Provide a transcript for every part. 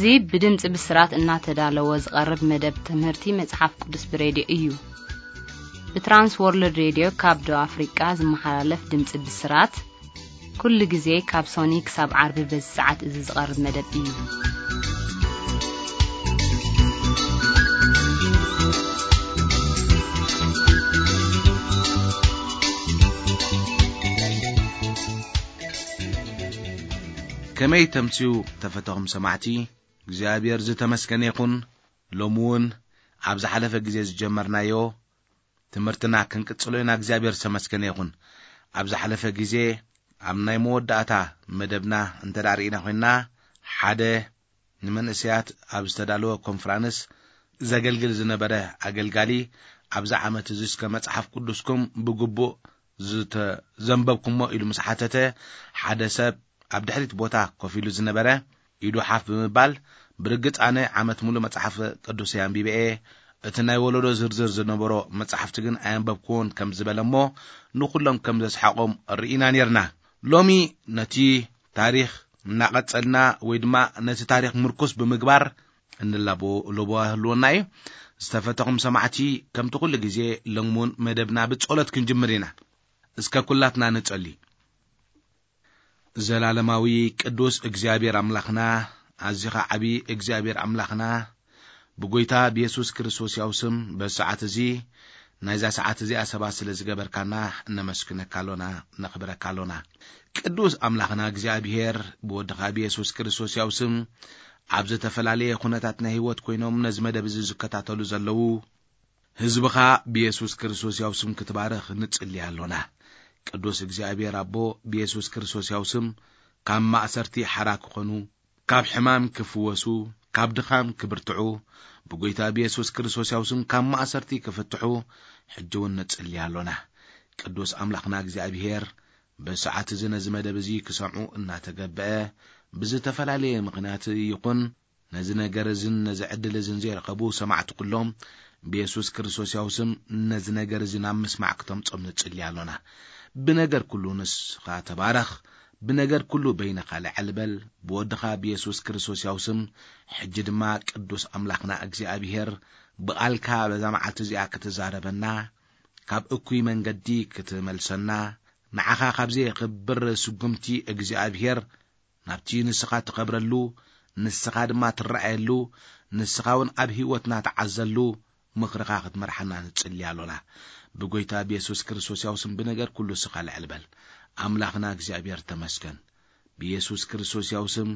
እዚ ብድምፂ ብስራት እናተዳለወ ዝቐርብ መደብ ትምህርቲ መጽሓፍ ቅዱስ ብሬድዮ እዩ። ብትራንስ ወርልድ ሬድዮ ካብ ደቡብ ኣፍሪቃ ዝመሓላለፍ ድምፂ ብስራት ኩሉ ግዜ ካብ ሶኒ ክሳብ ዓርቢ በዚ ሰዓት እዚ ዝቐርብ መደብ እዩ። ከመይ ተምስዩ ተፈተኹም ሰማዕቲ? እግዚኣብሔር ዝተመስገነ ይኹን። ሎሚ እውን ኣብ ዝሓለፈ ግዜ ዝጀመርናዮ ትምህርትና ክንቅጽሎ ኢና። እግዚኣብሔር ዝተመስገነ ይኹን። ኣብ ዝሓለፈ ግዜ ኣብ ናይ መወዳእታ መደብና እንተ ደኣ ርኢና ኮይንና፣ ሓደ ንመንእሰያት ኣብ ዝተዳለወ ኮንፍራንስ ዘገልግል ዝነበረ ኣገልጋሊ ኣብዚ ዓመት እዚ እስከ መጽሓፍ ቅዱስኩም ብግቡእ ዝተዘንበብኩሞ ኢሉ ምስ ሓተተ፣ ሓደ ሰብ ኣብ ድሕሪት ቦታ ኮፍ ኢሉ ዝነበረ ኢዱ ሓፍ ብምባል፣ ብርግጽ ኣነ ዓመት ሙሉ መጽሓፍ ቅዱሰይ ኣንቢበ እየ፣ እቲ ናይ ወለዶ ዝርዝር ዝነበሮ መጽሓፍቲ ግን ኣየንበብኩዎን ከም ዝበለ እሞ ንኹሎም ከም ዘስሓቖም ርኢና ኔርና። ሎሚ ነቲ ታሪኽ እናቐጸልና ወይ ድማ ነቲ ታሪኽ ምርኩስ ብምግባር እንላቦ ለቦ ህልወና እዩ። ዝተፈተኹም ሰማዕቲ ከምቲ ኩሉ ግዜ ሎሚ እውን መደብና ብጸሎት ክንጅምር ኢና። እስከ ኩላትና ንጸሊ። ዘላለማዊ ቅዱስ እግዚኣብሔር ኣምላኽና፣ ኣዚኻ ዓቢ እግዚኣብሔር ኣምላኽና፣ ብጎይታ ብየሱስ ክርስቶስ ያው ስም በዚ ሰዓት እዚ ናይዛ ሰዓት እዚኣ ሰባት ስለ ዝገበርካና እነመስግነካ ኣሎና፣ ነኽብረካ ኣሎና። ቅዱስ ኣምላኽና እግዚኣብሔር ብወድኻ ብየሱስ ክርስቶስ ያው ስም ኣብ ዝተፈላለየ ኩነታት ናይ ህይወት ኮይኖም ነዚ መደብ እዚ ዝከታተሉ ዘለዉ ህዝብኻ ብየሱስ ክርስቶስ ያው ስም ክትባርኽ ንጽሊ ኣሎና። ቅዱስ እግዚኣብሔር ኣቦ ብየሱስ ክርስቶስ ያው ስም ካብ ማእሰርቲ ሓራ ክኾኑ፣ ካብ ሕማም ክፍወሱ፣ ካብ ድኻም ክብርትዑ፣ ብጎይታ ብየሱስ ክርስቶስ ያው ስም ካብ ማእሰርቲ ክፍትሑ ሕጂ እውን ንጽሊ ኣሎና። ቅዱስ ኣምላኽና እግዚኣብሔር በዚ ሰዓት እዚ ነዚ መደብ እዚ ክሰምዑ እናተገብአ ብዝተፈላለየ ምኽንያት ይኹን ነዚ ነገር እዝን ነዚ ዕድል እዝን ዘይረኸቡ ሰማዕቲ ኩሎም ብየሱስ ክርስቶስ ያው ስም ነዚ ነገር እዚ ናብ ምስማዕ ክተምጾም ንጽሊ ኣሎና። ብነገር ኩሉ ንስኻ ተባረኽ፣ ብነገር ኩሉ በይንኻ ልዕል በል። ብወድኻ ብየሱስ ክርስቶስ ያው ስም ሕጂ ድማ ቅዱስ ኣምላኽና እግዚኣብሔር ብቓልካ በዛ መዓልቲ እዚኣ ክትዛረበና፣ ካብ እኩይ መንገዲ ክትመልሰና፣ ንዓኻ ካብ ዘየኽብር ስጉምቲ እግዚኣብሔር ናብቲ ንስኻ ትኸብረሉ፣ ንስኻ ድማ ትረኣየሉ፣ ንስኻ እውን ኣብ ህይወትና ትዓዘሉ ምኽርኻ ክትመርሓና ንጽሊ ኣሎና። ብጎይታ ብየሱስ ክርስቶስ ያው ስም ብነገር ኩሉ ንስኻ ልዕል በል። ኣምላኽና እግዚኣብሔር ተመስገን። ብየሱስ ክርስቶስ ያው ስም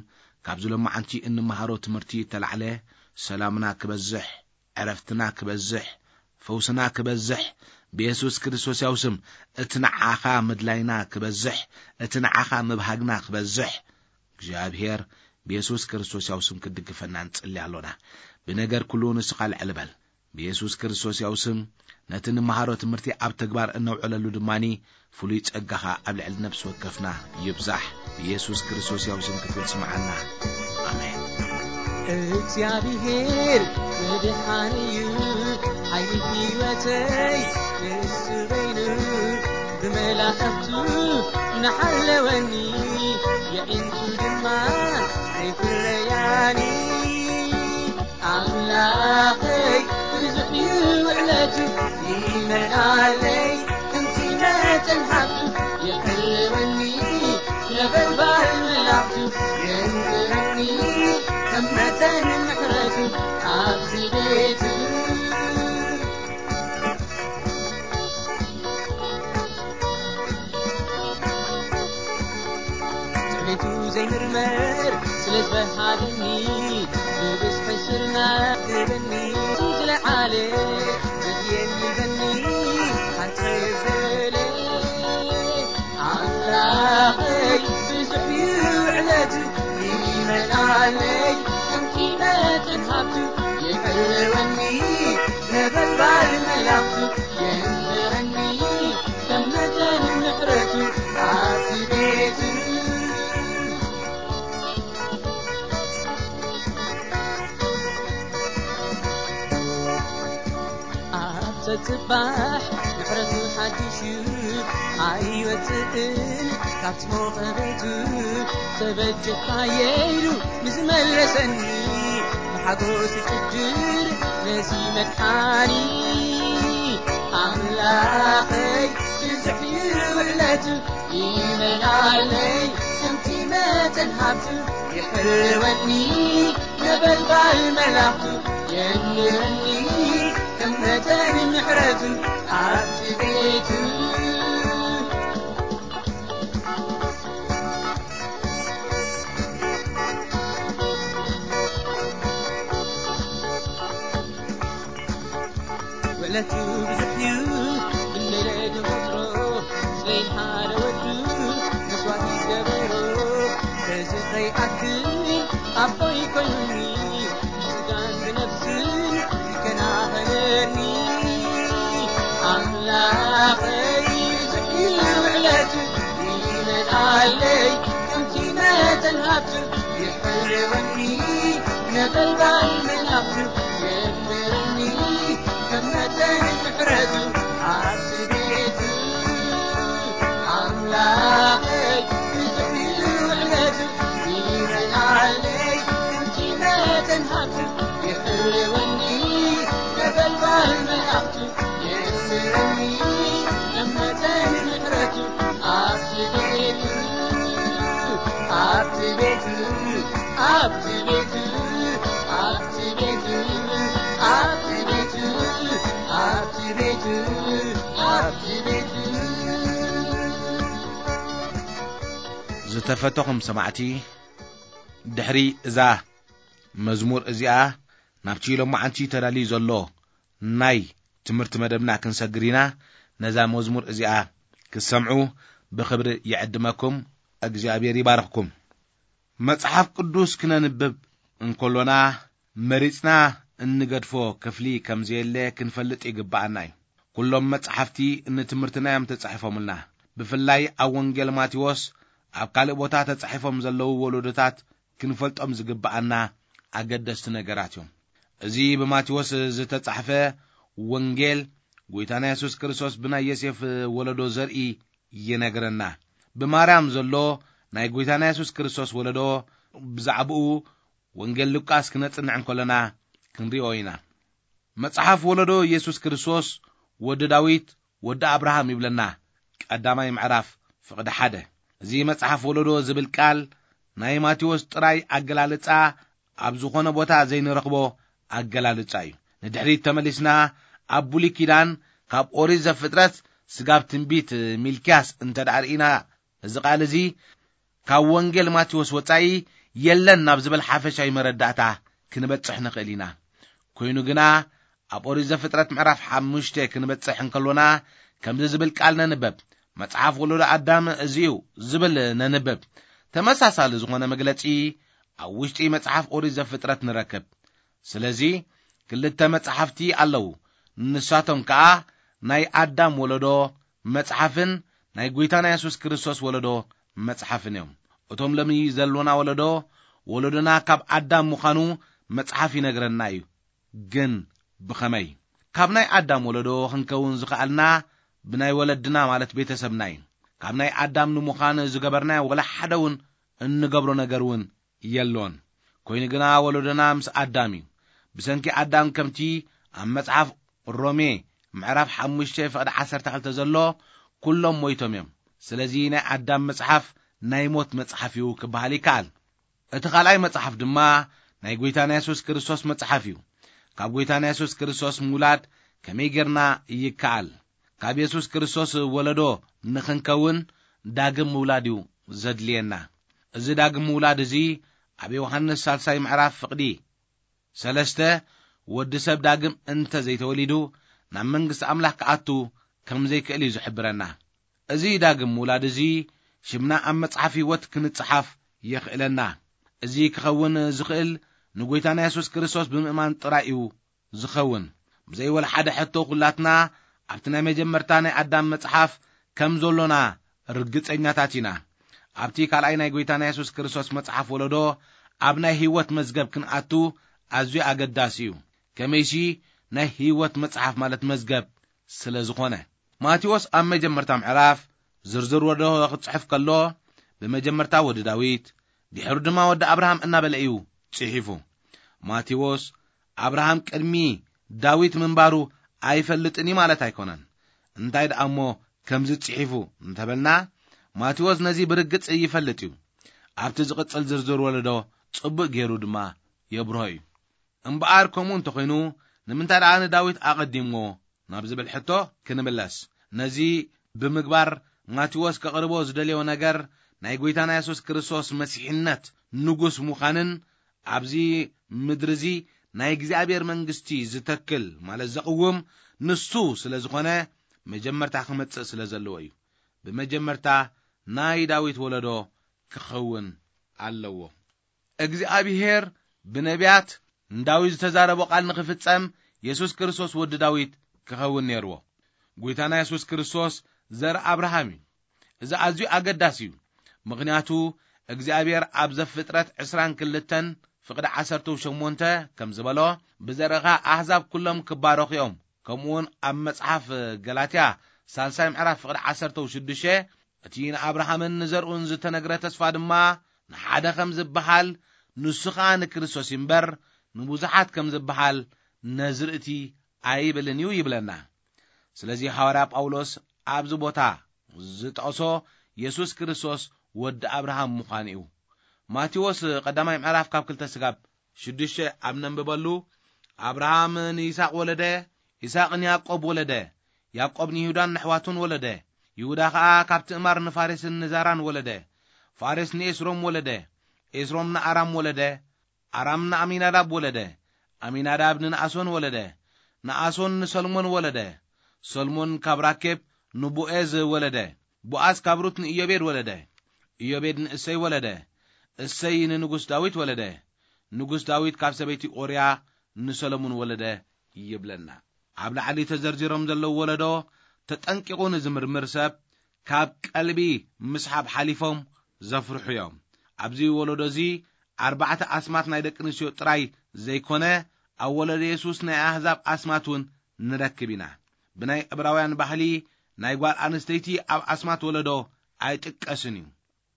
ካብዚ ሎማዓንቲ እንመሃሮ ትምህርቲ እተላዕለ ሰላምና ክበዝሕ፣ ዕረፍትና ክበዝሕ፣ ፈውስና ክበዝሕ፣ ብየሱስ ክርስቶስ ያው ስም እቲ ንዓኻ ምድላይና ክበዝሕ፣ እቲ ንዓኻ ምብሃግና ክበዝሕ፣ እግዚኣብሔር ብየሱስ ክርስቶስ ያው ስም ክትድግፈና ንጽሊ ኣሎና። ብነገር ኩሉ ንስኻ ልዕል በል። ብየሱስ ክርስቶስ ያው ስም ነቲ ንመሃሮ ትምህርቲ ኣብ ተግባር እነውዕለሉ ድማኒ ፍሉይ ጸጋኻ ኣብ ልዕሊ ነፍሲ ወከፍና ይብዛሕ። ብየሱስ ክርስቶስ ያው ስም ክትብል ስምዓና። ኣሜን። እግዚኣብሔር ምድሓን እዩ፣ ሓይሊ ህይወተይ ንሱ በይኑ፣ ብመላእኽቱ ንሓለወኒ፣ የዒንቱ ድማ ዘይፍረያኒ። ኣምላኸይ ብዙሕ እዩ ውዕለቱ፣ ይመልኣለይ ከምቲ መጠን ሃብቱ፣ ይሕልወኒ ነበልባል መላእኽቱ፣ የንብረኒ ከም መጠን ምሕረቱ ኣብዚ ቤቱ። ጽሬቱ ዘይምርመር ስለ ዝበሃለኒ፣ ብብዝሒ ስርና ትበኒ። ዝለዓለ ዘድልየኒ በኒ ሓንተ በለ። ኣምላኸይ ብዙሕ እዩ ውዕለቱ፣ ይመልኣለይ ከምቲ መጠን ሃብቱ፣ የሕልወኒ ነበልባል መላእኽቱ፣ የንብረኒ ከም መጠን ምሕረቱ ኣብቲ ቤቱ። ኣብ ጸጽባሕ ምሕረቱ ሓድሽ እዩ፣ ኣይወጽእን ኣብቲ ሞቐ ቤቱ ተበጀኻየ ኢሉ ንዝመለሰኒ፣ ብሓጎስ ይጭድር ነዚ መድሓኒ። ኣምላኸይ ብዙሕ እዩ ውዕለቱ፣ ይመልኣለይ ከምቲ መጠን ሃብቱ። ይሕልወኒ ነበልባል መላእኽቱ፣ የንብረኒ ከም መጠን ምሕረቱ። ኣብቲ ቤቱ ውዕለቱ ብዙሕ እዩ፣ ክንደይ ለድንቆጽሮ፣ ስለይ ሓደ ወዱ መስዋእቲ ዝገበሮ። በዚ ከይኣክል ኣቦይ ኮይኑኒ፣ ብስጋን ብነፍስን ይከናኸነኒ። ኣምላኸይ ብዙሕ እዩ ውዕለቱ፣ ይመልኣለይ ከምቲ መጠን ሃብቱ። ይሕልወኒ ነበልባል መላእኽቱ፣ የንብረኒ ከም መጠን ምሕረቱ። ኣብቲ ቤቱ ኣምላኸይ ብዙሕ እዩ ውዕለቱ፣ ይመልኣለይ ከምቲ መጠን ሃብቱ። ይሕልወኒ ነበልባል መላእኽቱ፣ የንብረኒ ከም መጠን ምሕረቱ። ኣብቲ ቤቱ ኣብቲ ቤቱ ኣብቲ ቤቱ ኣብቲ ቤቱ ኣብቲ ቤቱ ኣብቲ ቤቱ ኣብቲ ቤቱ ዝተፈተኹም ሰማዕቲ፣ ድሕሪ እዛ መዝሙር እዚኣ ናብቲ ሎማዓንቲ ተዳልዩ ዘሎ ናይ ትምህርቲ መደብና ክንሰግር ኢና። ነዛ መዝሙር እዚኣ ክትሰምዑ ብኽብሪ ይዕድመኩም። እግዚኣብሔር ይባርኽኩም። መጽሓፍ ቅዱስ ክነንብብ እንከሎና መሪጽና እንገድፎ ክፍሊ ከም ዘየለ ክንፈልጥ ይግብኣና እዩ። ኩሎም መጽሓፍቲ ንትምህርትና እዮም ተጻሒፎምልና። ብፍላይ ኣብ ወንጌል ማቴዎስ፣ ኣብ ካልእ ቦታ ተጻሒፎም ዘለዉ ወለዶታት ክንፈልጦም ዝግብኣና ኣገደስቲ ነገራት እዮም። እዚ ብማቴዎስ ዝተጻሕፈ ወንጌል፣ ጎይታና የሱስ ክርስቶስ ብናይ ዮሴፍ ወለዶ ዘርኢ ይነግረና። ብማርያም ዘሎ ናይ ጎይታና የሱስ ክርስቶስ ወለዶ ብዛዕባኡ ወንጌል ሉቃስ ክነጽንዕ እንከለና ክንሪኦ ኢና። መጽሓፍ ወለዶ የሱስ ክርስቶስ ወዲ ዳዊት፣ ወዲ ኣብርሃም ይብለና። ቀዳማይ ምዕራፍ ፍቕዲ ሓደ። እዚ መጽሓፍ ወለዶ ዝብል ቃል ናይ ማቴዎስ ጥራይ ኣገላልጻ ኣብ ዝኾነ ቦታ ዘይንረኽቦ ኣገላልጻ እዩ። ንድሕሪት ተመሊስና ኣብ ብሉይ ኪዳን ካብ ኦሪት ዘፍጥረት ስጋብ ትንቢት ሚልክያስ እንተ ደኣ ርኢና፣ እዚ ቃል እዚ ካብ ወንጌል ማቴዎስ ወጻኢ የለን ናብ ዝብል ሓፈሻዊ መረዳእታ ክንበጽሕ ንኽእል ኢና። ኮይኑ ግና ኣብ ኦሪት ዘፍጥረት ምዕራፍ ሓሙሽተ ክንበጽሕ እንከሎና ከምዚ ዝብል ቃል ነንበብ፣ "መጽሓፍ ወለዶ ኣዳም እዚ እዩ" ዝብል ነንበብ። ተመሳሳሊ ዝኾነ መግለጺ ኣብ ውሽጢ መጽሓፍ ኦሪት ዘፍጥረት ንረክብ። ስለዚ ክልተ መጽሓፍቲ ኣለዉ። ንሳቶም ከኣ ናይ ኣዳም ወለዶ መጽሓፍን ናይ ጐይታና የሱስ ክርስቶስ ወለዶ መጽሓፍን እዮም። እቶም ሎሚ ዘሎና ወለዶ፣ ወለዶና ካብ ኣዳም ምዃኑ መጽሓፍ ይነግረና እዩ። ግን ብኸመይ? ካብ ናይ ኣዳም ወለዶ ክንከውን ዝኸኣልና ብናይ ወለድና፣ ማለት ቤተሰብና እዩ። ካብ ናይ ኣዳም ንምዃን ዝገበርናዮ ወላ ሓደ እውን እንገብሮ ነገር እውን የሎን። ኮይኑ ግና ወለዶና ምስ ኣዳም እዩ። ብሰንኪ ኣዳም ከምቲ ኣብ መጽሓፍ ሮሜ ምዕራፍ ሓሙሽተ ፍቕዲ ዓሰርተ ክልተ ዘሎ፣ "ኩሎም ሞይቶም እዮም። ስለዚ ናይ ኣዳም መጽሓፍ ናይ ሞት መጽሓፍ እዩ" ክበሃል ይከኣል። እቲ ካልኣይ መጽሓፍ ድማ ናይ ጐይታና የሱስ ክርስቶስ መጽሓፍ እዩ። ካብ ጐይታና የሱስ ክርስቶስ ምውላድ ከመይ ጌርና ይከኣል? ካብ የሱስ ክርስቶስ ወለዶ ንኽንከውን ዳግም ምውላድ እዩ ዘድልየና። እዚ ዳግም ምውላድ እዚ ኣብ ዮሃንስ ሳልሳይ ምዕራፍ ፍቕዲ ሰለስተ፣ ወዲ ሰብ ዳግም እንተ ዘይተወሊዱ ናብ መንግስቲ ኣምላኽ ክኣቱ ከም ዘይክእል እዩ ዝሕብረና። እዚ ዳግም ምውላድ እዚ ሽምና ኣብ መጽሓፍ ህይወት ክንጽሓፍ የኽእለና። እዚ ክኸውን ዝኽእል ንጐይታና የሱስ ክርስቶስ ብምእማን ጥራይ እዩ ዝኸውን። ብዘይ ወላ ሓደ ሕቶ ኩላትና ኣብቲ ናይ መጀመርታ ናይ ኣዳም መጽሓፍ ከም ዘሎና ርግጸኛታት ኢና። ኣብቲ ካልኣይ ናይ ጐይታና የሱስ ክርስቶስ መጽሓፍ ወለዶ ኣብ ናይ ህይወት መዝገብ ክንኣቱ ኣዝዩ ኣገዳሲ እዩ። ከመይሲ ናይ ህይወት መጽሓፍ ማለት መዝገብ ስለ ዝኾነ። ማቴዎስ ኣብ መጀመርታ ምዕራፍ ዝርዝር ወለዶ ክጽሕፍ ከሎ፣ ብመጀመርታ ወዲ ዳዊት፣ ድሕሩ ድማ ወዲ ኣብርሃም እናበለ እዩ ጽሒፉ። ማቴዎስ ኣብርሃም ቅድሚ ዳዊት ምንባሩ ኣይፈልጥን እዩ ማለት ኣይኮነን። እንታይ ደኣ እሞ ከምዚ ጽሒፉ እንተበልና፣ ማቴዎስ ነዚ ብርግጽ ይፈልጥ እዩ። ኣብቲ ዝቕጽል ዝርዝር ወለዶ ጽቡቕ ገይሩ ድማ የብርሆ እዩ። እምበኣር ከምኡ እንተኾይኑ፣ ንምንታይ ደኣ ንዳዊት ኣቐዲምዎ ናብ ዝብል ሕቶ ክንምለስ። ነዚ ብምግባር ማቴዎስ ከቕርቦ ዝደልዮ ነገር፣ ናይ ጐይታና የሱስ ክርስቶስ መሲሕነት ንጉስ ምዃንን ኣብዚ ምድሪ እዚ ናይ እግዚኣብሔር መንግስቲ ዝተክል ማለት ዘቕውም ንሱ ስለ ዝኾነ፣ መጀመርታ ክመጽእ ስለ ዘለዎ እዩ። ብመጀመርታ ናይ ዳዊት ወለዶ ክኸውን ኣለዎ። እግዚኣብሔር ብነቢያት ንዳዊት ዝተዛረቦ ቃል ንኽፍጸም፣ የሱስ ክርስቶስ ወዲ ዳዊት ክኸውን ነይርዎ። ጐይታና የሱስ ክርስቶስ ዘር ኣብርሃም እዩ። እዚ ኣዝዩ ኣገዳሲ እዩ። ምኽንያቱ እግዚኣብሔር ኣብ ዘፍጥረት ዕስራን ክልተን ፍቕዲ ዓሰርተ ሸሞንተ ከም ዝበሎ፣ "ብዘርእኻ ኣህዛብ ኩሎም ክባረኹ እዮም." ከምኡውን ኣብ መጽሓፍ ገላትያ ሳልሳይ ምዕራፍ ፍቕዲ ዓሰርተ ሽዱሽተ፣ "እቲ ንኣብርሃምን ንዘርኡን ዝተነግረ ተስፋ ድማ ንሓደ ከም ዝበሃል፣ ንሱ ኸኣ ንክርስቶስ እዩ እምበር፣ ንብዙሓት ከም ዝበሃል ነዚ ርእቲ ኣይብልን እዩ" ይብለና። ስለዚ ሃዋርያ ጳውሎስ ኣብዚ ቦታ ዝጠቕሶ የሱስ ክርስቶስ ወዲ ኣብርሃም ምዃኑ እዩ። ማቴዎስ ቀዳማይ ምዕራፍ ካብ ክልተ ስጋብ ሽዱሽተ ኣብ ነንብበሉ፣ ኣብርሃም ንይስሐቅ ወለደ፣ ይስሐቅ ንያዕቆብ ወለደ፣ ያዕቆብ ንይሁዳን ንኣሕዋቱን ወለደ፣ ይሁዳ ኸኣ ካብ ትእማር ንፋሬስን ንዛራን ወለደ፣ ፋሬስ ንኤስሮም ወለደ፣ ኤስሮም ንኣራም ወለደ፣ ኣራም ንኣሚናዳብ ወለደ፣ ኣሚናዳብ ንነኣሶን ወለደ፣ ነኣሶን ንሰልሞን ወለደ፣ ሰልሞን ካብ ራኬብ ንቦኤዝ ወለደ፣ ቦኣዝ ካብ ሩት ንኢዮቤድ ወለደ፣ ኢዮቤድ ንእሰይ ወለደ፣ እሰይ ንንጉስ ዳዊት ወለደ፣ ንጉስ ዳዊት ካብ ሰበይቲ ኦርያ ንሰሎሞን ወለደ ይብለና። ኣብ ላዕሊ ተዘርዚሮም ዘለዉ ወለዶ ተጠንቂቑ ንዝምርምር ሰብ ካብ ቀልቢ ምስሓብ ሓሊፎም ዘፍርሑ እዮም። ኣብዚ ወለዶ እዚ ኣርባዕተ ኣስማት ናይ ደቂ ኣንስትዮ ጥራይ ዘይኮነ፣ ኣብ ወለዶ የሱስ ናይ ኣህዛብ ኣስማት እውን ንረክብ ኢና። ብናይ ዕብራውያን ባህሊ ናይ ጓል ኣንስተይቲ ኣብ ኣስማት ወለዶ ኣይጥቀስን እዩ።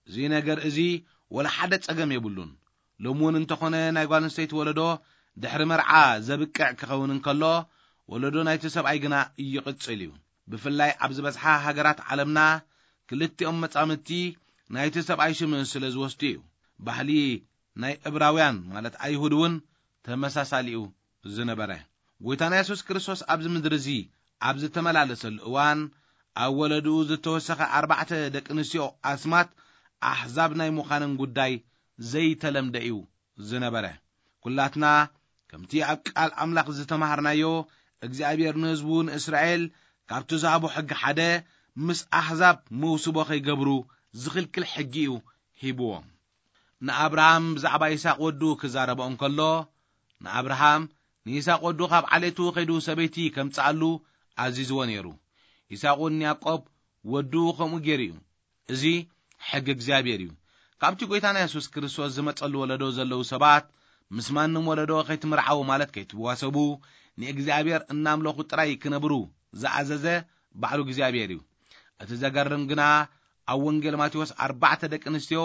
እዚ ነገር እዚ ወላ ሓደ ጸገም የብሉን። ሎሚ እውን እንተኾነ ናይ ጓል ኣንስተይቲ ወለዶ ድሕሪ መርዓ ዘብቅዕ ክኸውን እንከሎ፣ ወለዶ ናይቲ ሰብኣይ ግና ይቕጽል እዩ። ብፍላይ ኣብ ዝበዝሓ ሃገራት ዓለምና ክልቲኦም መጻምድቲ ናይቲ ሰብኣይ ሽም ስለ ዝወስዱ እዩ። ባህሊ ናይ ዕብራውያን ማለት ኣይሁድ እውን ተመሳሳሊኡ ዝነበረ። ጐይታና የሱስ ክርስቶስ ኣብዚ ምድሪ እዚ ኣብ ዝተመላለሰሉ እዋን፣ ኣብ ወለድኡ ዝተወሰኸ ኣርባዕተ ደቂ ኣንስትዮ ኣስማት ኣሕዛብ ናይ ምዃነን ጉዳይ ዘይተለምደ እዩ ዝነበረ። ኩላትና ከምቲ ኣብ ቃል ኣምላኽ ዝተማሃርናዮ፣ እግዚኣብሔር ንህዝቡ ንእስራኤል ካብቲ ዝሃቦ ሕጊ ሓደ፣ ምስ ኣሕዛብ መውስቦ ከይገብሩ ዝኽልክል ሕጊ እዩ ሂብዎም። ንኣብርሃም ብዛዕባ ይስሐቅ ወዱ ክዛረቦ እንከሎ፣ ንኣብርሃም ንይስሐቅ ወዱ ካብ ዓሌቱ ከይዱ ሰበይቲ ከምጽኣሉ ኣዚዝዎ ነይሩ። ይስሐቅ እውን ንያዕቆብ ወዱ ከምኡ ገይሩ እዩ። እዚ ሕጊ እግዚኣብሔር እዩ። ካብቲ ጐይታና የሱስ ክርስቶስ ዝመጸሉ ወለዶ ዘለዉ ሰባት፣ ምስ ማንም ወለዶ ከይትምርዓዉ ማለት ከይትዋሰቡ፣ ንእግዚኣብሔር እናምለኹ ጥራይ ክነብሩ ዝኣዘዘ ባዕሉ እግዚኣብሔር እዩ። እቲ ዘገርም ግና፣ ኣብ ወንጌል ማቴዎስ ኣርባዕተ ደቂ ኣንስትዮ፣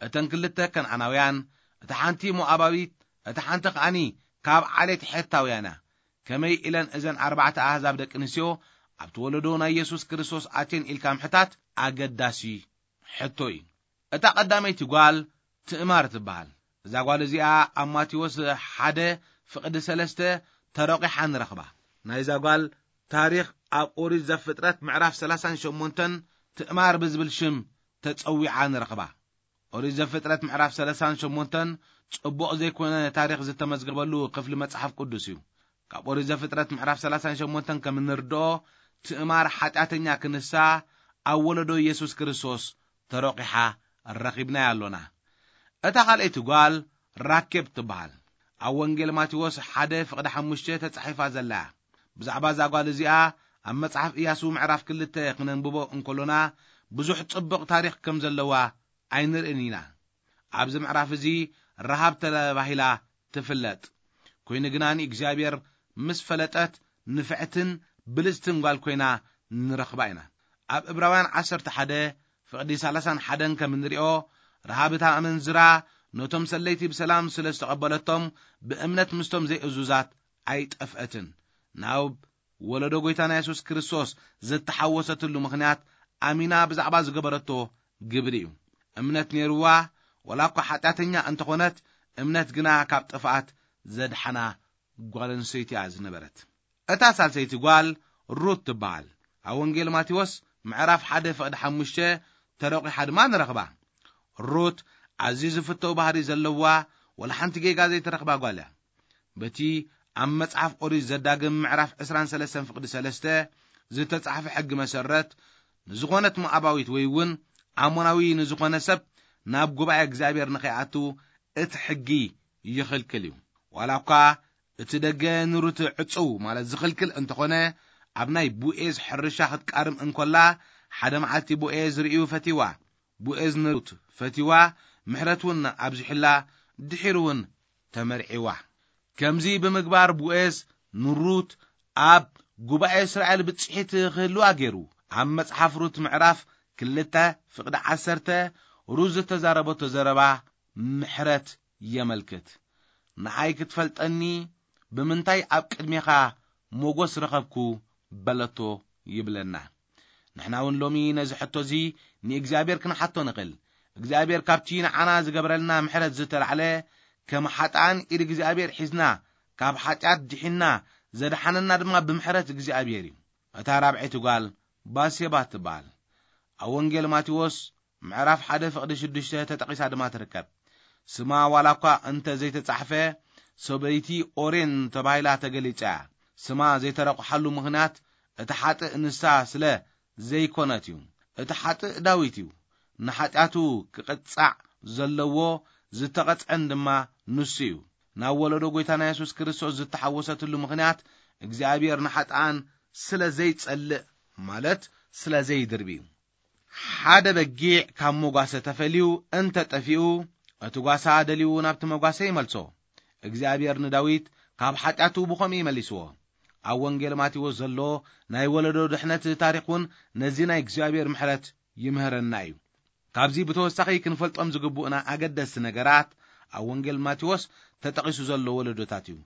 እተን ክልተ ከነኣናውያን፣ እታ ሓንቲ ሞኣባዊት፣ እታ ሓንቲ ከኣኒ ካብ ዓሌት ሔታውያን እያ። ከመይ ኢለን እዘን ኣርባዕተ ኣህዛብ ደቂ ኣንስትዮ ኣብቲ ወለዶ ናይ የሱስ ክርስቶስ ኣትየን ኢልካ ምሕታት ኣገዳሲ ሕቶ እዩ። እታ ቀዳመይቲ ጓል ትእማር ትበሃል። እዛ ጓል እዚኣ ኣብ ማቴዎስ ሓደ ፍቕዲ ሰለስተ ተረቂሓ ንረኽባ። ናይዛ ጓል ታሪኽ ኣብ ኦሪት ዘፍጥረት ምዕራፍ ሰላሳን ሸሞንተን ትእማር ብዝብል ሽም ተጸዊዓ ንረኽባ። ኦሪት ዘፍጥረት ምዕራፍ ሰላሳን ሸሞንተን ጽቡቕ ዘይኮነ ታሪኽ ዝተመዝገበሉ ክፍሊ መጽሓፍ ቅዱስ እዩ። ካብ ኦሪት ዘፍጥረት ምዕራፍ ሰላሳን ሸሞንተን ከም እንርድኦ፣ ትእማር ሓጢኣተኛ ክንሳ ኣብ ወለዶ የሱስ ክርስቶስ ተረቂሓ ረኺብናያ ኣሎና። እታ ካልኣይቲ ጓል ራኬብ ትበሃል። ኣብ ወንጌል ማቴዎስ ሓደ ፍቕዲ ሓሙሽተ ተጻሒፋ ዘላ እያ። ብዛዕባ እዛ ጓል እዚኣ ኣብ መጽሓፍ ኢያሱ ምዕራፍ ክልተ ክነንብቦ እንከሎና፣ ብዙሕ ጽቡቕ ታሪኽ ከም ዘለዋ ኣይንርእን ኢና። ኣብዚ ምዕራፍ እዚ ረሃብ ተባሂላ ትፍለጥ። ኮይኑ ግና ንእግዚኣብሔር ምስ ፈለጠት ንፍዕትን ብልጽትን ጓል ኮይና ንረኽባ ኢና። ኣብ ዕብራውያን ዓሰርተ ሓደ ፍቕዲ ሰላሳን ሓደን ከም እንሪኦ፣ ረሃብ እታ ኣመንዝራ ነቶም ሰለይቲ ብሰላም ስለ ዝተቐበለቶም፣ ብእምነት ምስቶም ዘይእዙዛት ኣይጠፍአትን። ናብ ወለዶ ጐይታና የሱስ ክርስቶስ ዝተሓወሰትሉ ምኽንያት ኣሚና ብዛዕባ ዝገበረቶ ግብሪ እዩ። እምነት ነይርዋ፣ ወላ እኳ ሓጢኣተኛ እንተኾነት፣ እምነት ግና ካብ ጥፍኣት ዘድሓና ጓል ኣንስተይቲ እያ ዝነበረት። እታ ሳልሰይቲ ጓል ሩት ትበሃል። ኣብ ወንጌል ማቴዎስ ምዕራፍ ሓደ ፍቕዲ ሓሙሽተ ተረቑሓ ድማ ንረኽባ። ሩት ኣዝዩ ዝፍተው ባህሪ ዘለዋ፣ ወላ ሓንቲ ጌጋ ዘይተረኽባ ጓል እያ። በቲ ኣብ መጽሓፍ ኦሪት ዘዳግም ምዕራፍ ዕስራን ሰለስተን ፍቕዲ ሰለስተ ዝተጻሕፈ ሕጊ መሰረት፣ ንዝኾነት ሞዓባዊት ወይ እውን ኣሞናዊ ንዝኾነ ሰብ ናብ ጉባኤ እግዚኣብሔር ንኸይኣቱ እቲ ሕጊ ይኽልክል እዩ። ዋላ እኳ እቲ ደገ ንሩት ዕጽው ማለት ዝኽልክል እንተኾነ፣ ኣብ ናይ ቦኤዝ ሕርሻ ክትቃርም እንኮላ፣ ሓደ መዓልቲ ቦኤዝ ርእዩ ፈቲዋ። ቦኤዝ ንሩት ፈቲዋ፣ ምሕረት እውን ኣብዚሑላ፣ ድሒሩ እውን ተመርዒዋ። ከምዚ ብምግባር ቦኤዝ ንሩት ኣብ ጉባኤ እስራኤል ብጽሒት ክህልዋ ገይሩ። ኣብ መጽሓፍ ሩት ምዕራፍ ክልተ ፍቕዲ ዓሰርተ፣ ሩት ዝተዛረበቶ ዘረባ ምሕረት የመልክት። ንዓይ ክትፈልጠኒ ብምንታይ ኣብ ቅድሜኻ ሞጎስ ረኸብኩ በለቶ ይብለና። ንሕና እውን ሎሚ ነዚ ሕቶ እዚ ንእግዚኣብሔር ክንሓቶ ንኽእል። እግዚኣብሔር ካብቲ ንዓና ዝገበረልና ምሕረት ዝተላዕለ፣ ከም ሓጥኣን ኢድ እግዚኣብሔር ሒዝና፣ ካብ ሓጢኣት ድሒንና፣ ዘድሓነና ድማ ብምሕረት እግዚኣብሔር እዩ። እታ ራብዐይቲ ጓል ባሴባ ትበሃል። ኣብ ወንጌል ማቴዎስ ምዕራፍ ሓደ ፍቕዲ ሽዱሽተ ተጠቒሳ ድማ ትርከብ። ስማ ዋላ እኳ እንተ ዘይተጻሕፈ፣ ሰበይቲ ኦሬን ተባሂላ ተገሊጻ እያ። ስማ ዘይተረቑሓሉ ምኽንያት፣ እቲ ሓጥእ ንሳ ስለ ዘይኮነት እዩ። እቲ ሓጥእ ዳዊት እዩ። ንሓጢኣቱ ክቕጻዕ ዘለዎ ዝተቐጽዐን ድማ ንሱ እዩ። ናብ ወለዶ ጐይታና የሱስ ክርስቶስ ዝተሓወሰትሉ ምኽንያት፣ እግዚኣብሔር ንሓጥኣን ስለ ዘይጸልእ፣ ማለት ስለ ዘይድርቢ እዩ። ሓደ በጊዕ ካብ መጓሰ ተፈልዩ እንተ ጠፊኡ፣ እቲ ጓሳ ደልዩ ናብቲ መጓሰ ይመልሶ። እግዚኣብሔር ንዳዊት ካብ ሓጢኣቱ ብኸምኡ ይመሊስዎ። ኣብ ወንጌል ማቴዎስ ዘሎ ናይ ወለዶ ድሕነት ታሪኽ እውን ነዚ ናይ እግዚኣብሔር ምሕረት ይምህረና እዩ። ካብዚ ብተወሳኺ ክንፈልጦም ዝግብኡና ኣገደስቲ ነገራት፣ ኣብ ወንጌል ማቴዎስ ተጠቒሱ ዘሎ ወለዶታት እዩ።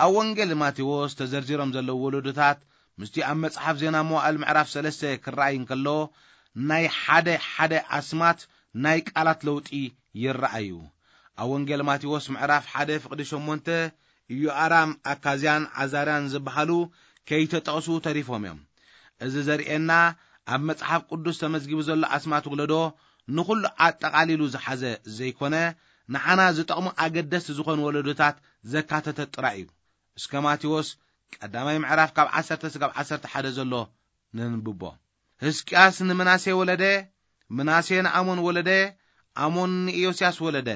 ኣብ ወንጌል ማቴዎስ ተዘርዚሮም ዘለዉ ወለዶታት፣ ምስቲ ኣብ መጽሓፍ ዜና መዋዕል ምዕራፍ ሰለስተ ክረኣይ እንከሎ፣ ናይ ሓደ ሓደ ኣስማት ናይ ቃላት ለውጢ ይረኣዩ። ኣብ ወንጌል ማቴዎስ ምዕራፍ ሓደ ፍቕዲ ሸሞንተ፣ ኢዮኣራም፣ ኣካዝያን ዓዛርያን ዝበሃሉ ከይተጠቕሱ ተሪፎም እዮም። እዚ ዘርእየና፣ ኣብ መጽሓፍ ቅዱስ ተመዝጊቡ ዘሎ ኣስማት ወለዶ ንኹሉ ኣጠቓሊሉ ዝሓዘ ዘይኮነ፣ ንዓና ዝጠቕሙ ኣገደስቲ ዝኾኑ ወለዶታት ዘካተተ ጥራይ እዩ። እስከ ማቴዎስ ቀዳማይ ምዕራፍ ካብ ዓሰርተ ስጋብ ዓሰርተ ሓደ ዘሎ ነንብቦ። ሕዝቅያስ ንምናሴ ወለደ፣ ምናሴ ንኣሞን ወለደ፣ ኣሞን ንኢዮስያስ ወለደ።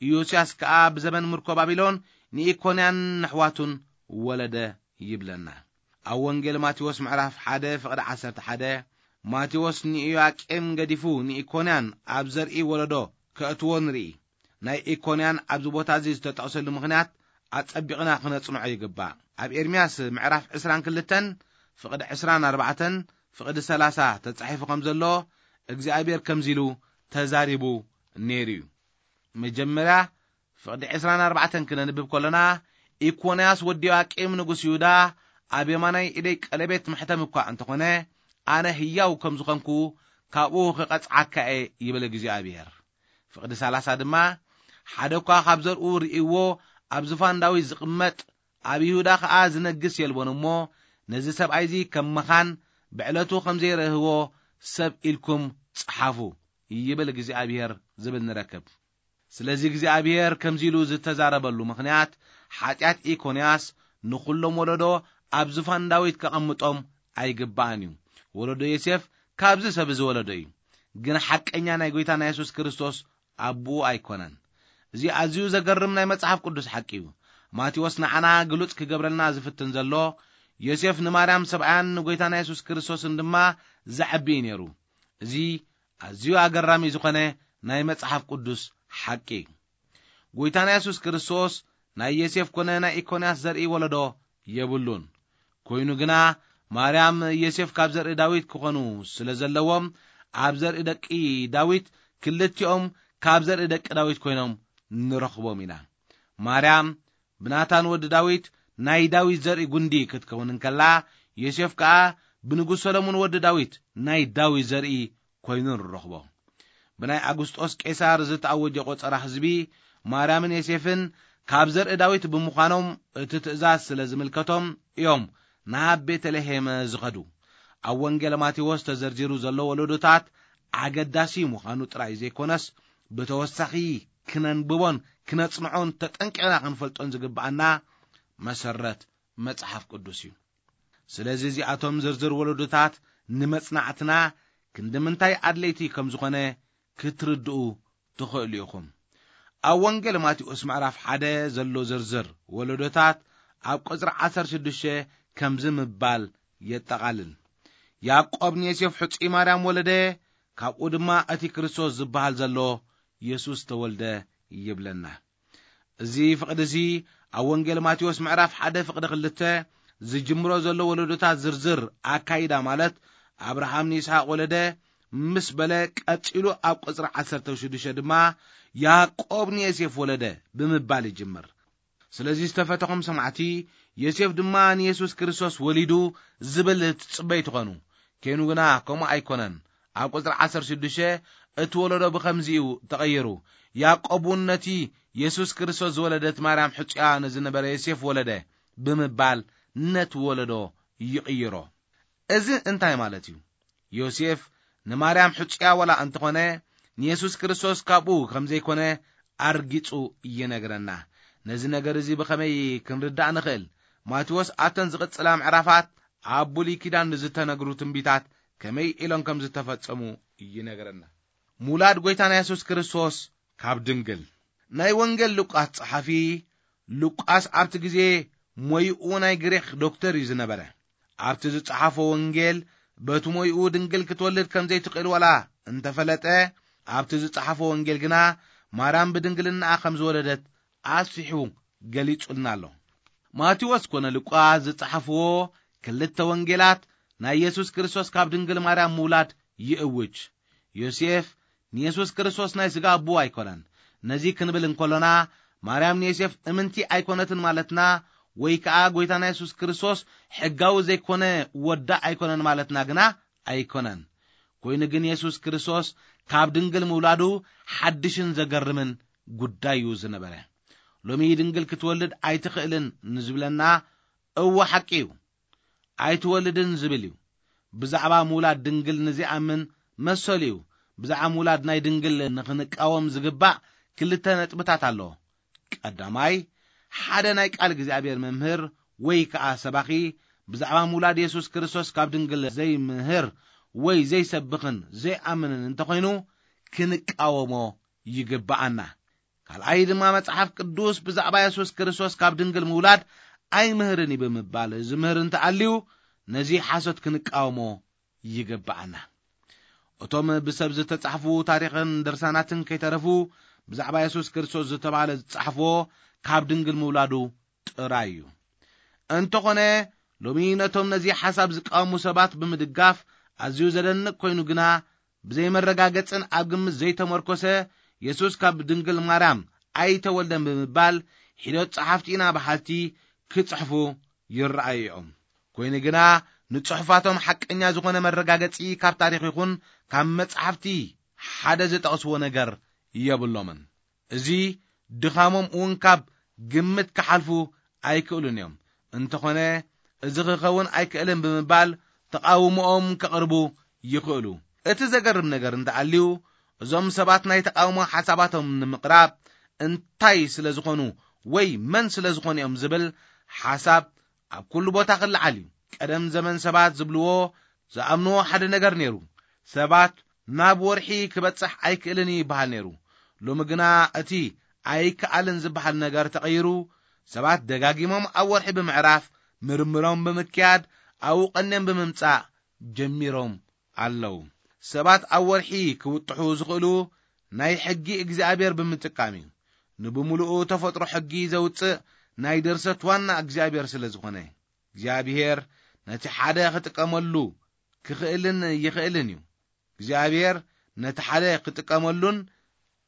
ኢዮስያስ ከኣ ብዘበን ምርኮ ባቢሎን ንኢኮንያን ነሕዋቱን ወለደ ይብለና። ኣብ ወንጌል ማቴዎስ ምዕራፍ ሓደ ፍቕዲ ዓሰርተ ሓደ፣ ማቴዎስ ንኢዮያቄም ገዲፉ ንኢኮንያን ኣብ ዘርኢ ወለዶ ከእትዎ ንርኢ። ናይ ኢኮንያን ኣብዚ ቦታ እዚ ዝተጠቕሰሉ ምኽንያት ኣጸቢቕና ክነጽንዖ ይግባእ። ኣብ ኤርምያስ ምዕራፍ ዕስራን ክልተን ፍቕዲ ዕስራን ኣርባዕተን ፍቕዲ ሰላሳ ተጻሒፉ ከም ዘሎ እግዚኣብሔር ከምዚ ኢሉ ተዛሪቡ ነይሩ እዩ። መጀመርያ ፍቕዲ ዕስራን ኣርባዕተን ክነንብብ ከሎና፣ ኢኮንያስ ወዲ ዮኣቂም ንጉስ ይሁዳ ኣብ የማናይ ኢደይ ቀለቤት ማሕተም እኳ እንተኾነ፣ ኣነ ህያው ከም ዝኾንኩ ካብኡ ክቐጽዓካ እየ ይብል እግዚኣብሔር። ፍቕዲ ሰላሳ ድማ፣ ሓደ እኳ ካብ ዘርኡ ርእይዎ ኣብ ዙፋን ዳዊት ዝቕመጥ፣ ኣብ ይሁዳ ኸኣ ዝነግስ የልቦን እሞ፣ ነዚ ሰብኣይዚ ከም መኻን ብዕለቱ ከም ዘይረህዎ ሰብ ኢልኩም ጸሓፉ ይብል እግዚኣብሔር ዝብል ንረክብ። ስለዚ እግዚኣብሔር ከምዚ ኢሉ ዝተዛረበሉ ምኽንያት፣ ሓጢኣት ኢኮንያስ ንኹሎም ወለዶ ኣብ ዙፋን ዳዊት ከቐምጦም ኣይግባእን እዩ። ወለዶ ዮሴፍ ካብዚ ሰብ እዚ ወለዶ እዩ። ግን ሓቀኛ ናይ ጐይታና የሱስ ክርስቶስ ኣቦኡ ኣይኮነን። እዚ ኣዝዩ ዘገርም ናይ መጽሓፍ ቅዱስ ሓቂ እዩ። ማቴዎስ ንዓና ግሉጽ ክገብረልና ዝፍትን ዘሎ፣ ዮሴፍ ንማርያም ሰብኣያን ንጐይታና የሱስ ክርስቶስን ድማ ዘዐቢ እዩ ነይሩ። እዚ ኣዝዩ ኣገራሚ ዝኾነ ናይ መጽሓፍ ቅዱስ ሓቂ እዩ። ጐይታና የሱስ ክርስቶስ ናይ ዮሴፍ ኮነ ናይ ኢኮንያስ ዘርኢ ወለዶ የብሉን። ኮይኑ ግና፣ ማርያም ዮሴፍ ካብ ዘርኢ ዳዊት ክኾኑ ስለ ዘለዎም፣ ኣብ ዘርኢ ደቂ ዳዊት፣ ክልቲኦም ካብ ዘርኢ ደቂ ዳዊት ኮይኖም ንረኽቦም ኢና። ማርያም ብናታን ወዲ ዳዊት ናይ ዳዊት ዘርኢ ጉንዲ ክትከውን እንከላ፣ ዮሴፍ ከኣ ብንጉስ ሰሎሞን ወዲ ዳዊት ናይ ዳዊት ዘርኢ ኮይኑ ንረኽቦ። ብናይ ኣጉስጦስ ቄሳር ዝተኣወጀ ቆጸራ ህዝቢ፣ ማርያምን ዮሴፍን ካብ ዘርኢ ዳዊት ብምዃኖም፣ እቲ ትእዛዝ ስለ ዝምልከቶም እዮም ናብ ቤተልሔም ዝኸዱ። ኣብ ወንጌል ማቴዎስ ተዘርዚሩ ዘሎ ወለዶታት ኣገዳሲ ምዃኑ ጥራይ ዘይኮነስ፣ ብተወሳኺ ክነንብቦን ክነጽንዖን ተጠንቂቕና ክንፈልጦን ዝግብኣና መሰረት መጽሓፍ ቅዱስ እዩ። ስለዚ እዚኣቶም ዝርዝር ወለዶታት ንመጽናዕትና ክንዲ ምንታይ ኣድለይቲ ከም ዝኾነ ክትርድኡ ትኽእሉ ኢኹም። ኣብ ወንጌል ማቴዎስ ምዕራፍ ሓደ ዘሎ ዝርዝር ወለዶታት ኣብ ቁጽሪ ዓሰርተ ሽዱሽተ ከምዚ ምባል የጠቓልል። ያዕቆብ ንዮሴፍ ሕጹይ ማርያም ወለደ፣ ካብኡ ድማ እቲ ክርስቶስ ዝበሃል ዘሎ የሱስ ተወልደ ይብለና። እዚ ፍቕዲ እዚ ኣብ ወንጌል ማቴዎስ ምዕራፍ ሓደ ፍቕዲ ክልተ ዝጅምሮ ዘሎ ወለዶታት ዝርዝር ኣካይዳ፣ ማለት ኣብርሃም ንይስሓቅ ወለደ ምስ በለ፣ ቀጺሉ ኣብ ቁጽሪ ዓሰርተ ሽዱሽተ ድማ ያዕቆብ ንዮሴፍ ወለደ ብምባል ይጅምር። ስለዚ ዝተፈተኹም ሰማዕቲ፣ ዮሴፍ ድማ ንየሱስ ክርስቶስ ወሊዱ ዝብል ትጽበዩ ትኾኑ። ከይኑ ግና ከምኡ ኣይኮነን። ኣብ ቁጽሪ ዓሰርተ ሽዱሽተ እቲ ወለዶ ብኸምዚ እዩ ተቐይሩ። ያዕቆብ እውን ነቲ የሱስ ክርስቶስ ዝወለደት ማርያም ሕጹያ ንዝነበረ ዮሴፍ ወለደ ብምባል ነቲ ወለዶ ይቕይሮ። እዚ እንታይ ማለት እዩ? ዮሴፍ ንማርያም ሕጹያ ዋላ እንተኾነ፣ ንየሱስ ክርስቶስ ካብኡ ከም ዘይኮነ ኣርጊጹ ይነግረና። ነዚ ነገር እዚ ብኸመይ ክንርዳእ ንኽእል? ማቴዎስ ኣብተን ዝቕጽላ ምዕራፋት ኣብ ብሉይ ኪዳን ንዝተነግሩ ትንቢታት ከመይ ኢሎም ከም ዝተፈጸሙ ይነግረና። ምውላድ ጐይታና የሱስ ክርስቶስ ካብ ድንግል። ናይ ወንጌል ሉቃስ ጸሓፊ፣ ሉቃስ ኣብቲ ግዜ ሞይኡ ናይ ግሪኽ ዶክተር እዩ ዝነበረ። ኣብቲ ዝጸሓፎ ወንጌል፣ በቲ ሞይኡ ድንግል ክትወልድ ከም ዘይትኽእል ዋላ እንተፈለጠ፣ ኣብቲ ዝጸሓፎ ወንጌል ግና ማርያም ብድንግልናኣ ከም ዝወለደት ኣስፊሑ ገሊጹልና ኣሎ። ማቴዎስ ኮነ ሉቃስ ዝጸሓፍዎ ክልተ ወንጌላት ናይ የሱስ ክርስቶስ ካብ ድንግል ማርያም ምውላድ ይእውጅ። ዮሴፍ ንየሱስ ክርስቶስ ናይ ስጋ ኣቦ ኣይኮነን። ነዚ ክንብል እንከሎና፣ ማርያም ንዮሴፍ እምንቲ ኣይኮነትን ማለትና፣ ወይ ከኣ ጐይታና የሱስ ክርስቶስ ሕጋዊ ዘይኮነ ወዳ ኣይኮነን ማለትና ግና ኣይኮነን። ኮይኑ ግን የሱስ ክርስቶስ ካብ ድንግል ምውላዱ ሓድሽን ዘገርምን ጉዳይ እዩ ዝነበረ። ሎሚ ድንግል ክትወልድ ኣይትኽእልን ንዝብለና፣ እወ ሓቂ እዩ። ኣይትወልድን ዝብል እዩ። ብዛዕባ ምውላድ ድንግል ንዚኣምን መሰሉ እዩ። ብዛዕባ ምውላድ ናይ ድንግል ንኽንቃወም ዝግባእ ክልተ ነጥብታት ኣሎ። ቀዳማይ፣ ሓደ ናይ ቃል እግዚኣብሔር መምህር ወይ ከኣ ሰባኺ ብዛዕባ ምውላድ የሱስ ክርስቶስ ካብ ድንግል ዘይምህር ወይ ዘይሰብኽን ዘይኣምንን እንተኾይኑ፣ ክንቃወሞ ይግብኣና። ካልኣይ ድማ፣ መጽሓፍ ቅዱስ ብዛዕባ የሱስ ክርስቶስ ካብ ድንግል ምውላድ ኣይምህርን እዩ ብምባል ዝምህር እንተኣልዩ፣ ነዚ ሓሶት ክንቃወሞ ይግብኣና። እቶም ብሰብ ዝተጻሕፉ ታሪኽን ድርሳናትን ከይተረፉ፣ ብዛዕባ የሱስ ክርስቶስ ዝተባህለ ዝጻሕፍዎ ካብ ድንግል ምውላዱ ጥራይ እዩ። እንተኾነ፣ ሎሚ ነቶም ነዚ ሓሳብ ዝቃወሙ ሰባት ብምድጋፍ፣ ኣዝዩ ዘደንቕ ኮይኑ ግና፣ ብዘይመረጋገጽን ኣብ ግምት ዘይተመርኮሰ፣ የሱስ ካብ ድንግል ማርያም ኣይተወልደን ብምባል፣ ሒደት ጸሓፍቲ ኢና በሃልቲ ክጽሕፉ ይረኣዩ እዮም። ኮይኑ ግና፣ ንጽሑፋቶም ሓቀኛ ዝኾነ መረጋገጺ ካብ ታሪኽ ይኹን ካብ መጻሕፍቲ ሓደ ዝጠቕስዎ ነገር የብሎምን። እዚ ድኻሞም እውን ካብ ግምት ክሓልፉ ኣይክእሉን እዮም። እንተኾነ፣ እዚ ክኸውን ኣይክእልን ብምባል ተቓውሞኦም ከቕርቡ ይኽእሉ። እቲ ዘገርም ነገር እንተኣልዩ፣ እዞም ሰባት ናይ ተቓውሞ ሓሳባቶም ንምቕራብ እንታይ ስለ ዝኾኑ ወይ መን ስለ ዝኾኑ እዮም ዝብል ሓሳብ ኣብ ኩሉ ቦታ ክለዓል እዩ። ቀደም ዘመን ሰባት ዝብልዎ፣ ዝኣምንዎ ሓደ ነገር ነይሩ። ሰባት ናብ ወርሒ ክበጽሕ ኣይክእልን እዩ ይበሃል ነይሩ። ሎሚ ግና እቲ ኣይከኣልን ዝበሃል ነገር ተቐይሩ፣ ሰባት ደጋጊሞም ኣብ ወርሒ ብምዕራፍ፣ ምርምሮም ብምክያድ፣ ኣብኡ ቀንዮም ብምምጻእ ጀሚሮም ኣለዉ። ሰባት ኣብ ወርሒ ክውጥሑ ዝኽእሉ ናይ ሕጊ እግዚኣብሔር ብምጥቃም እዩ። ንብምሉኡ ተፈጥሮ ሕጊ ዘውጽእ ናይ ድርሰት ዋና እግዚኣብሔር ስለ ዝኾነ፣ እግዚኣብሔር ነቲ ሓደ ክጥቀመሉ ክኽእልን ይኽእልን እዩ። እግዚኣብሔር ነቲ ሓደ ክጥቀመሉን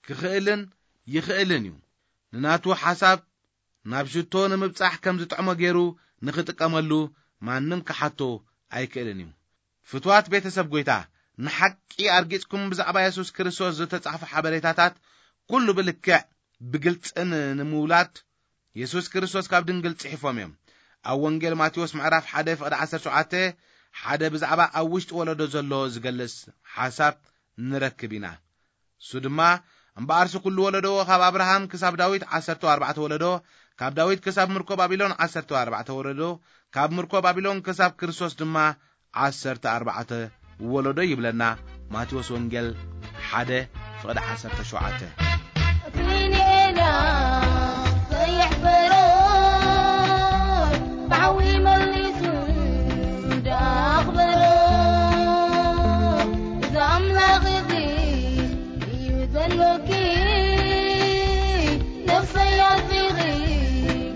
ክኽእልን ይኽእልን እዩ። ንናቱ ሓሳብ ናብ ሽቶ ንምብጻሕ ከም ዝጥዕሞ ገይሩ ንኽጥቀመሉ ማንም ክሓቶ ኣይክእልን እዩ። ፍትዋት ቤተሰብ ጐይታ፣ ንሓቂ ኣርጊጽኩም ብዛዕባ የሱስ ክርስቶስ ዝተጻሕፉ ሓበሬታታት ኩሉ ብልክዕ ብግልጽን ንምውላድ የሱስ ክርስቶስ ካብ ድንግል ጽሒፎም እዮም። ኣብ ወንጌል ማቴዎስ ምዕራፍ ሓደ ፍቕዲ ዓሰርተ ሸውዓተ ሓደ ብዛዕባ ኣብ ውሽጢ ወለዶ ዘሎ ዝገልጽ ሓሳብ ንረክብ ኢና። እሱ ድማ፣ እምበኣርሲ ኩሉ ወለዶ ካብ ኣብርሃም ክሳብ ዳዊት ዓሰርተ ኣርባዕተ ወለዶ፣ ካብ ዳዊት ክሳብ ምርኮ ባቢሎን ዓሰርተ ኣርባዕተ ወለዶ፣ ካብ ምርኮ ባቢሎን ክሳብ ክርስቶስ ድማ ዓሰርተ ኣርባዕተ ወለዶ ይብለና። ማቴዎስ ወንጌል ሓደ ፍቕዲ ዓሰርተ ሸውዓተ። ፊንኤላ ዘይሕፈሮ ብሓዊ መሊሱ እንዳኽበሮ፣ እዚ ኣምላኽ እዚ እዩ ዘሎኪ። ነፍሰይ ኣርዚኺ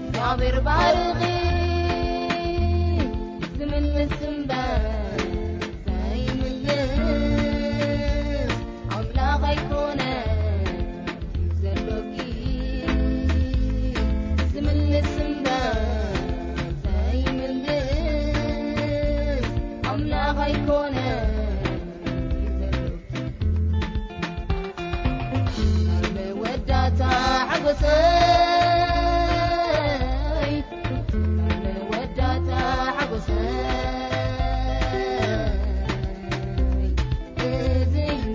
እግዚኣብሔር ባርኺ። ዝምልስ እምበር ዘይምልስ ኣምላኽ ኣይኮነ ዘሎኪ። ዝምልስ እምበር ዘይምልስ ኣምላኽ ኣይኮነ ዘሎኪ። መወዳእታ ሓጎሰይ፣ መወዳእታ ሓጎሰይ፣ እዚ እዩ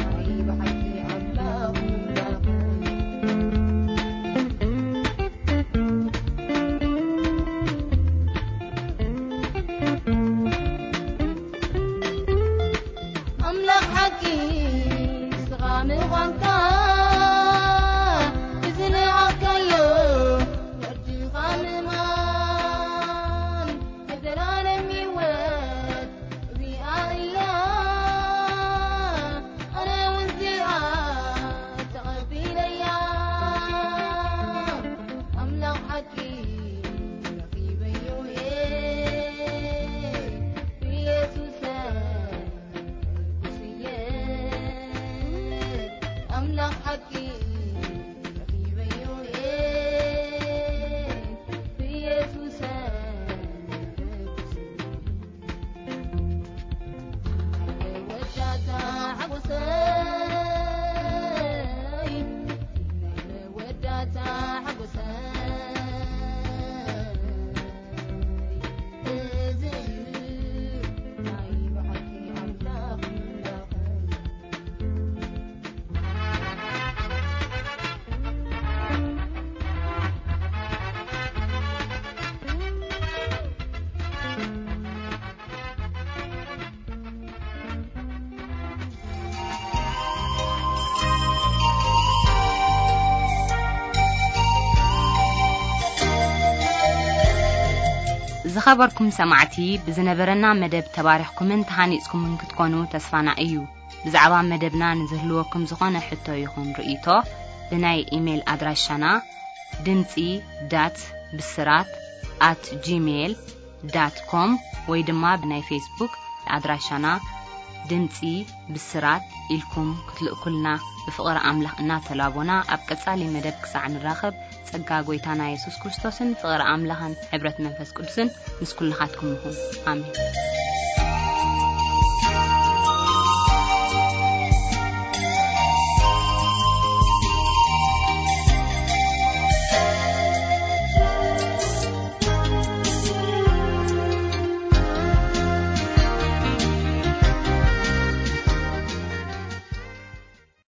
ናይ ብሓቂ ኣምላኽ ምምላኸይ። ኣምላኽ ሓቂ ንስኻ ምዃንካ፣ እዚ ንኣካዮ ወድኻ ምእማን፣ ናይ ዘላለም ህይወት እዚኣ እያ። ኣነ እውን እዚኣ ተቐቢለያ። ኣምላኽ ሓቂ ረኺበዮ እየ ብየሱሰይ። ኣምላኽ ሓቂ ረኺበዮ እየ ብየሱስ መወዳእታ ሓጎሰይ፣ መወዳእታ ሓጎሰይ። ዝኸበርኩም ሰማዕቲ፣ ብዝነበረና መደብ ተባሪኽኩምን ተሃኒጽኩምን ክትኮኑ ተስፋና እዩ። ብዛዕባ መደብና ንዝህልወኩም ዝኾነ ሕቶ ይኹን ርእይቶ፣ ብናይ ኢሜይል ኣድራሻና ድምጺ ዳት ብስራት ኣት ጂሜይል ዳት ኮም ወይ ድማ ብናይ ፌስቡክ ኣድራሻና ድምጺ ብስራት ኢልኩም ክትልእኩልና ብፍቕሪ ኣምላኽ እናተላቦና፣ ኣብ ቀጻሊ መደብ ክሳዕ ንራኸብ፣ ጸጋ ጐይታና የሱስ ክርስቶስን ፍቕሪ ኣምላኽን ሕብረት መንፈስ ቅዱስን ምስ ኩልኻትኩም ይኹን። ኣሜን።